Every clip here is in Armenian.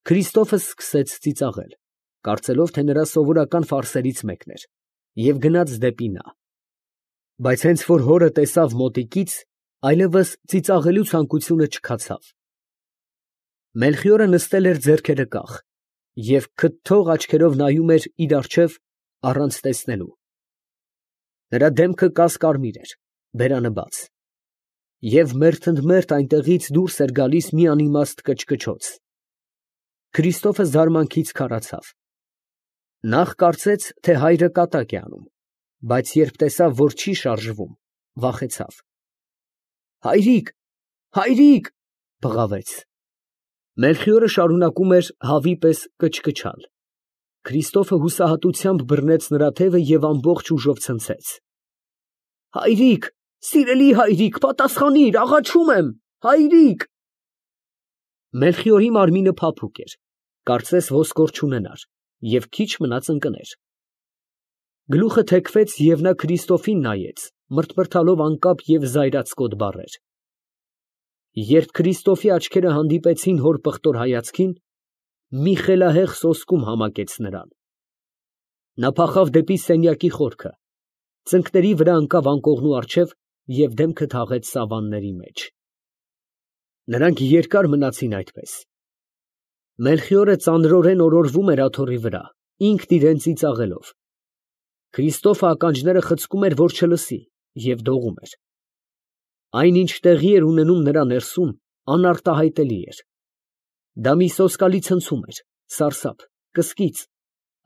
Քրիստոֆը սկսեց ծիծաղել, կարծելով, թե նրա սովորական ֆարսերից մեկն էր, և գնաց դեպի նա. բայց հենց որ հորը տեսավ մոտիկից, այլևս ծիծաղելու ցանկությունը չքացավ։ Մելխիորը նստել էր ձեռքերը կախ և քթթող աչքերով նայում էր իր առջև առանց տեսնելու։ Նրա դեմքը կասկարմիր էր, բերանը բաց, և մերթընդմերթ այնտեղից դուրս էր գալիս մի անիմաստ կչկչոց։ Քրիստոֆը զարմանքից քարացավ. նախ կարծեց, թե հայրը կատակ է անում, բայց երբ տեսավ, որ չի շարժվում, վախեցավ։ «Հայրիկ, հայրիկ», բղավեց։ Մելխիորը շարունակում էր հավի պես կչկչալ։ Քրիստոֆը հուսահատությամբ բռնեց նրա թևը և ամբողջ ուժով ցնցեց. «Հայրիկ, սիրելի հայրիկ, պատասխանիր, աղաչում եմ, հայրիկ»։ Մելխիորի մարմինը փափուկ էր, կարծես ոսկոր չունենար, և քիչ մնաց ընկներ։ Գլուխը թեքվեց, և նա Քրիստոֆին նայեց, մռթմռթալով անկապ և զայրացկոտ բառեր։ Երբ Քրիստոֆի աչքերը հանդիպեցին հոր պղտոր հայացքին, մի խելահեղ սոսկում համակեց նրան։ Նա փախավ դեպի սենյակի խորքը, ծնկների վրա ընկավ անկողնու առջև և դեմքը թաղեց սավանների մեջ։ Նրանք երկար մնացին այդպես։ Մելխիորը ծանրորեն օրորվում էր աթոռի վրա, ինքն իրան ծիծաղելով։ Քրիստոֆը ականջները խցկում էր, որ չլսի, և դողում էր։ Այն, ինչ տեղի էր ունենում նրա ներսում, անարտահայտելի էր։ Դա մի սոսկալի ցնցում էր, սարսափ, կսկիծ,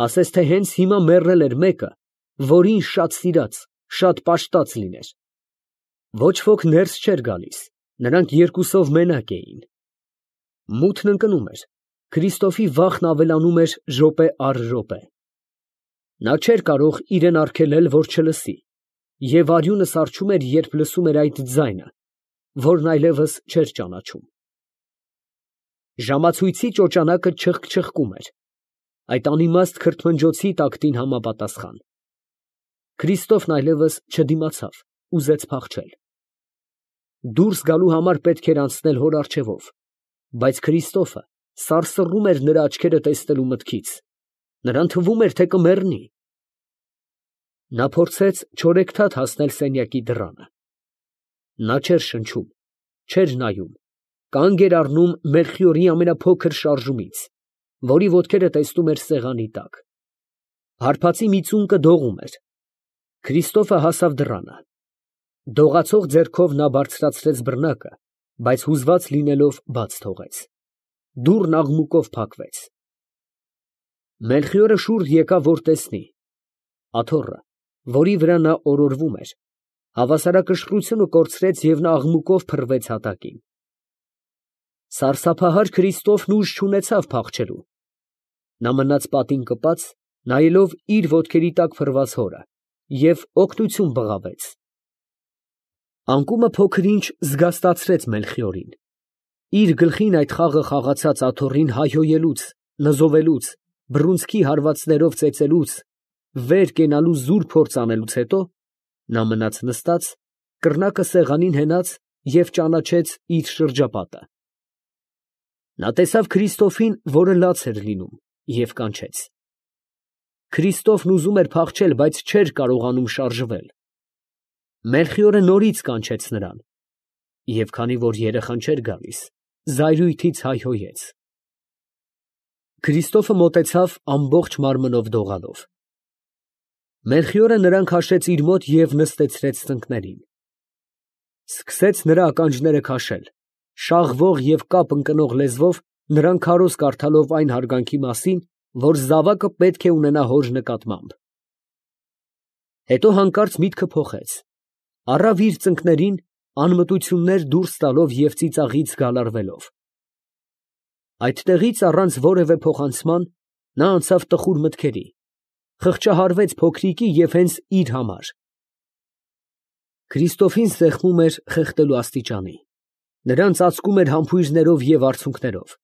ասես թե հենց հիմա մեռել էր մեկը, որին շատ սիրած, շատ պաշտած լիներ։ Ոչ ոք ներս չէր գալիս, նրանք երկուսով մենակ էին։ Մութն ընկնում էր, Քրիստոֆի վախն ավելանում էր րոպե առ րոպե։ Նա չէր կարող իրեն արգելել, որ չլսի, և արյունը սառչում էր, երբ լսում էր այդ ձայնը, որն այլևս չէր ճանաչում։ Ժամացույցի ճոճանակը չխկչխկում էր, այդ անիմաստ քրթմնջոցի տակտին համապատասխան։ Քրիստոֆն այլևս չդիմացավ, ուզեց փախչել։ Դուրս գալու համար պետք էր անցնել հոր առջևով, բայց Քրիստոֆը սարսռում էր նրա աչքերը տեսնելու մտքից, նրան թվում էր, թե կմեռնի։ Նա փորձեց չորեքթաթ հասնել սենյակի դռանը։ Նա չէր շնչում, չէր նայում, կանգ էր առնում Մելխիորի ամենափոքր շարժումից, որի ոտքերը տեսնում էր սեղանի տակ։ Հարբածի մի ծունկը դողում էր։ Քրիստոֆը հասավ դռանը։ Դողացող ձեռքով նա բարձրացրեց բռնակը, բայց հուզված լինելով բաց թողեց։ Դուռն աղմուկով փակվեց։ Մելխիորը շուռ եկավ, որ տեսնի։ Աթոռը, որի վրա նա օրորվում էր, հավասարակշռությունը կորցրեց, և նա աղմուկով փռվեց հատակին։ Սարսափահար Քրիստոֆն ուժ չունեցավ փախչելու։ Նա մնաց պատին կպած, նայելով իր ոտքերի տակ փռված հորը, և օգնություն բղավեց։ Անկումը փոքր-ինչ զգաստացրեց Մելխիորին։ Իր գլխին այդ խաղը խաղացած աթոռին հայհոյելուց, նզովելուց, բռունցքի հարվածներով ծեծելուց, վեր կենալու զուր փորձ անելուց հետո, նա մնաց նստած, կռնակը սեղանին հենած և ճանաչեց իր շրջապատը։ Նա տեսավ Քրիստոֆին, որը լաց էր լինում, և կանչեց։ Քրիստոֆն ուզում էր փախչել, բայց չէր կարողանում շարժվել։ Մելխիորը նորից կանչեց նրան, և քանի որ երեխան չէր գալիս, զայրույթից հայհոյեց։ Քրիստոֆը մոտեցավ ամբողջ մարմնով դողալով։ Մելխիորը նրան քաշեց իր մոտ և նստեցրեց ծնկներին։ Սկսեց նրա ականջները քաշել, շաղվող և կապ ընկնող լեզվով նրան քարոզ կարդալով այն հարգանքի մասին, որ զավակը պետք է ունենա հոր նկատմամբ։ Հետո հանկարծ միտքը փոխեց, առավ իր ծնկներին, անմտություններ դուրս տալով և ծիծաղից գալարվելով։ Այդտեղից առանց որևէ փոխանցման նա անցավ տխուր մտքերի, խղճահարվեց փոքրիկի և հենց իր համար։ Քրիստոֆին սեղմում էր խեղդելու աստիճանի, նրան ծածկում էր համբույրներով և արցունքներով։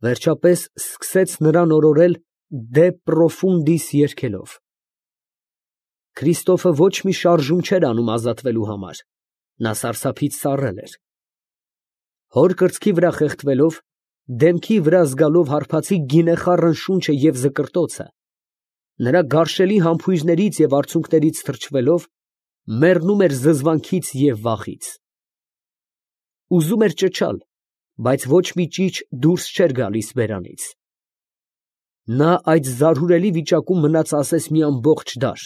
Վերջապես սկսեց նրան օրորել «Դե պրոֆունդիս» երգելով։ Քրիստոֆը ոչ մի շարժում չէր անում ազատվելու համար, նա սարսափից սառել էր։ Հոր կրծքի վրա խեղդվելով, դեմքի վրա զգալով հարբածի գինեխառն շունչը և զկրտոցը, նրա գարշելի համբույրներից և արցունքներից թրջվելով, մեռնում էր զզվանքից և վախից։ Ուզում էր ճչալ, բայց ոչ մի ճիչ դուրս չէր գալիս բերանից։ Նա այդ զարհուրելի վիճակում մնաց ասես մի ամբողջ դար,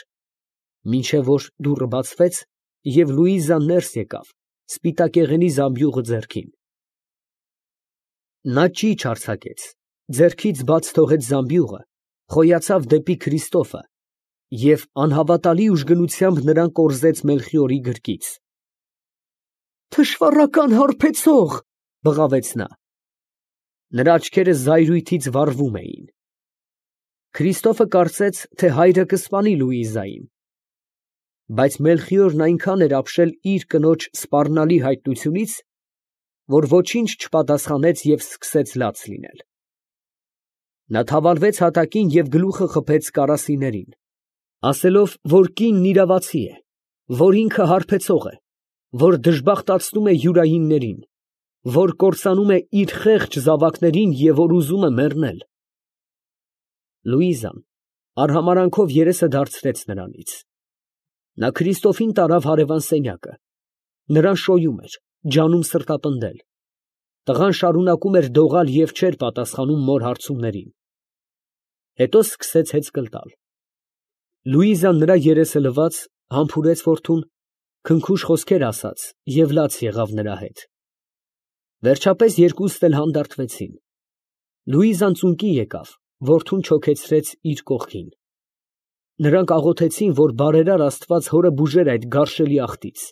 մինչև որ դուռը բացվեց և Լուիզան ներս եկավ, սպիտակեղենի զամբյուղը ձեռքին։ Նա ճիչ արձակեց, ձեռքից բաց թողեց զամբյուղը, խոյացավ դեպի Քրիստոֆը և անհավատալի ուժգնությամբ նրան կորզեց Մելխիորի գրկից։ «Թշվառական հարբեցող», բղավեց նա։ Նրա աչքերը զայրույթից վառվում էին։ Քրիստոֆը կարծեց, թե հայրը կսպանի Լուիզային, բայց Մելխիորն այնքան էր ապշել իր կնոջ սպառնալի հայտնությունից, որ ոչինչ չպատասխանեց և սկսեց լաց լինել։ Նա թավալվեց հատակին և գլուխը խփեց կարասիներին, ասելով, որ կինն իրավացի է, որ ինքը հարբեցող է, որ դժբախտացնում է յուրայիններին, որ կործանում է իր խեղճ զավակներին և որ ուզում է մեռնել։ Լուիզան արհամարանքով երեսը դարձրեց նրանից։ Նա Քրիստոֆին տարավ հարևան սենյակը, նրան շոյում էր, ջանում սրտապնդել։ Տղան շարունակում էր դողալ և չէր պատասխանում մոր հարցումներին։ Հետո սկսեց հեծկլ տալ։ Լուիզան նրա երեսը լվաց, համբուրեց որդուն, քնքուշ խոսքեր ասաց և լաց եղավ նրա հետ։ Վերջապես երկուսն էլ հանդարտվեցին։ Լուիզան ծունկի եկավ, որդուն չոքեցրեց իր կողքին։ Նրանք աղոթեցին, որ բարերար Աստված հորը բուժեր այդ գարշելի աղտից,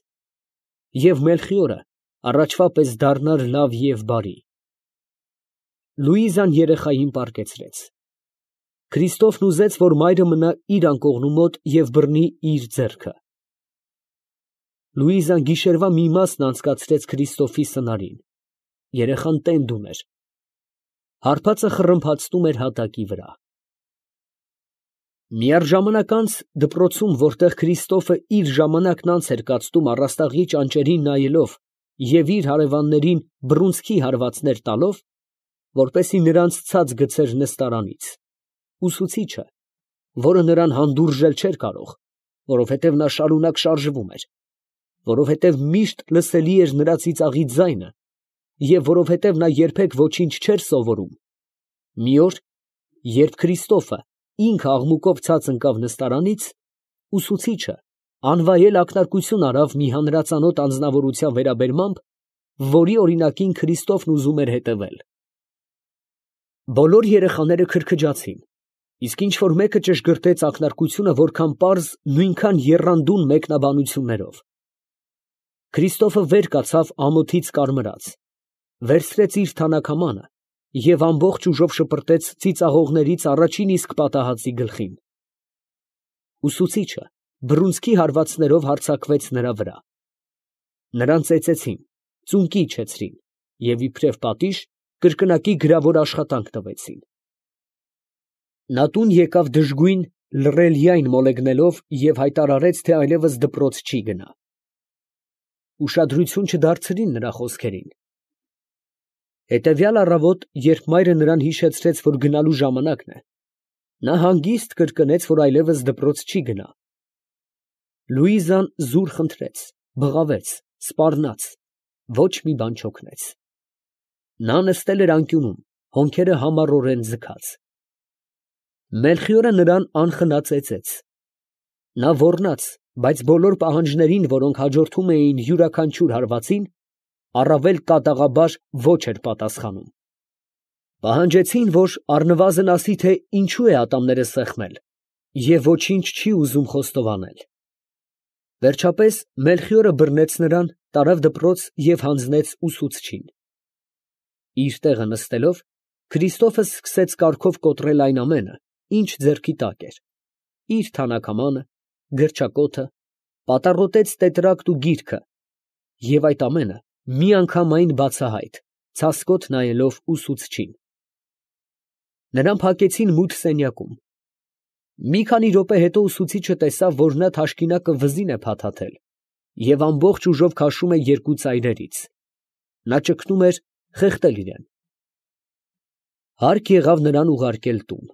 և Մելխիորը առաջվա պես դառնար լավ և բարի։ Լուիզան երեխային պառկեցրեց։ Քրիստոֆն ուզեց, որ մայրը մնա իր անկողնու մոտ և բռնի իր ձեռքը։ Լուիզան գիշերվա մի մասն անցկացրեց Քրիստոֆի սնարին։ Երեխան տենդ ուներ։ Հարբածը խռմփացնում էր հատակի վրա։ Միառժամանակ անց դպրոցում, որտեղ Քրիստոֆը իր ժամանակն անց էր կացնում առաստաղի ճանճերին նայելով և իր հարևաններին բռունցքի հարվածներ տալով, որպեսզի նրանց ցած գցեր նստարանից, ուսուցիչը, որը նրան հանդուրժել չէր կարող, որովհետև նա շարունակ շարժվում էր, որովհետև միշտ լսելի էր նրա ծիծաղի ձայնը և որովհետև նա երբեք ոչինչ չէր սովորում, մի օր, երբ Քրիստոֆը ինքը աղմուկով ցած ընկավ նստարանից, ուսուցիչը անվայել ակնարկություն արավ մի հանրածանոթ անձնավորության վերաբերմամբ, որի օրինակին Քրիստոֆն ուզում էր հետևել։ Բոլոր երեխաները քրքջացին, իսկ ինչ որ մեկը ճշգրտեց ակնարկությունը որքան պարզ, նույնքան եռանդուն մեկնաբանություններով։ Քրիստոֆը վեր կացավ ամոթից կարմրած, վերցրեց իր թանաքամանը և ամբողջ ուժով շպրտեց ծիծաղողներից առաջին իսկ պատահածի գլխին։ Ուսուցիչը բռունցքի հարվածներով հարձակվեց նրա վրա։ Նրան ծեծեցին, ծունկի իջեցրին և իբրև պատիժ կրկնակի գրավոր աշխատանք տվեցին։ Նա տուն եկավ դժգույն լռելյայն մոլեգնելով և հայտարարեց, թե այլևս դպրոց չի գնա։ Ուշադրություն չդարձրին նրա խոսքերին։ Հետևյալ առավոտ, երբ մայրը նրան հիշեցրեց, որ գնալու ժամանակն է, նա հանգիստ կրկնեց, որ այլևս դպրոց չի գնա։ Լուիզան զուր խնդրեց, բղավեց, սպառնաց, ոչ մի բան չօգնեց։ Նա նստել էր անկյունում, հոնքերը համառորեն ձգած։ Մելխիորը նրան անխնա ծեծեց։ Նա ոռնաց, բայց բոլոր պահանջներին, որոնք հաջորդում էին յուրաքանչյուր հարվածին, առավել կատաղաբար ոչ էր պատասխանում։ Պահանջեցին, որ առնվազն ասի, թե ինչու է ատամները սեղմել և ոչինչ չի ուզում խոստովանել։ Վերջապես Մելխիորը բռնեց նրան, տարավ դպրոց և հանձնեց ուսուցչին։ Իր տեղը նստելով, Քրիստոֆը սկսեց կարգով կոտրել այն ամենը, ինչ ձեռքի տակ էր, իր թանաքամանը, գրչակոթը, պատառոտեց տետրակտ ու գիրքը, և այդ ամենը միանգամայն բացահայտ, ցասկոտ նայելով ուսուցչին։ Նրան փակեցին մութ սենյակում։ Մի քանի րոպե հետո ուսուցիչը տեսավ, որ նա թաշկինակը վզին է փաթաթել և ամբողջ ուժով քաշում է երկու ծայրերից։ Նա ճգնում էր խեղդել իրեն։ Հարկ եղավ նրան ուղարկել տուն։